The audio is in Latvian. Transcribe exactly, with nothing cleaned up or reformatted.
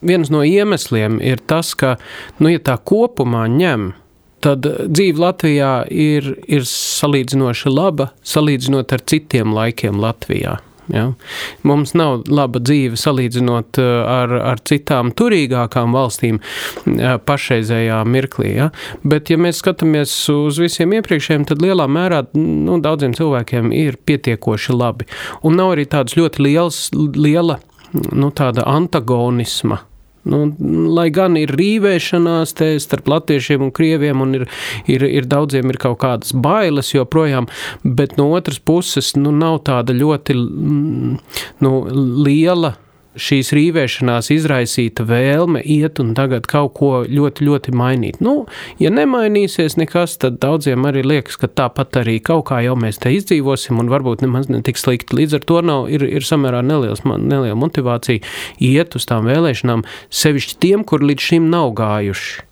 viens no iemesliem ir tas, ka, nu, ja tā kopumā ņem, tad dzīve Latvijā ir, ir salīdzinoši laba, salīdzinot ar citiem laikiem Latvijā. Ja? Mums nav laba dzīve salīdzinot ar, ar citām turīgākām valstīm pašreizējā mirklī. Ja? Bet, ja mēs skatāmies uz visiem iepriekšējiem, tad lielā mērā nu, daudziem cilvēkiem ir pietiekoši labi. Un nav arī tādas ļoti liels, liela nu, tāda antagonisma. Nu, lai gan ir rīvēšanās te starp latviešiem un krieviem un ir, ir, ir daudziem ir kaut kādas bailes joprojām, bet no otras puses nu, nav tāda ļoti nu, liela šīs rīvēšanās izraisīta vēlme iet un tagad kaut ko ļoti, ļoti mainīt. Nu, ja nemainīsies nekas, tad daudziem arī liekas, ka tāpat arī kaut kā jau mēs te izdzīvosim un varbūt nemaz netik slikti. Līdz ar to nav, ir, ir samērā neliels, neliela motivācija iet uz tām vēlēšanām, sevišķi tiem, kur līdz šim nav gājuši.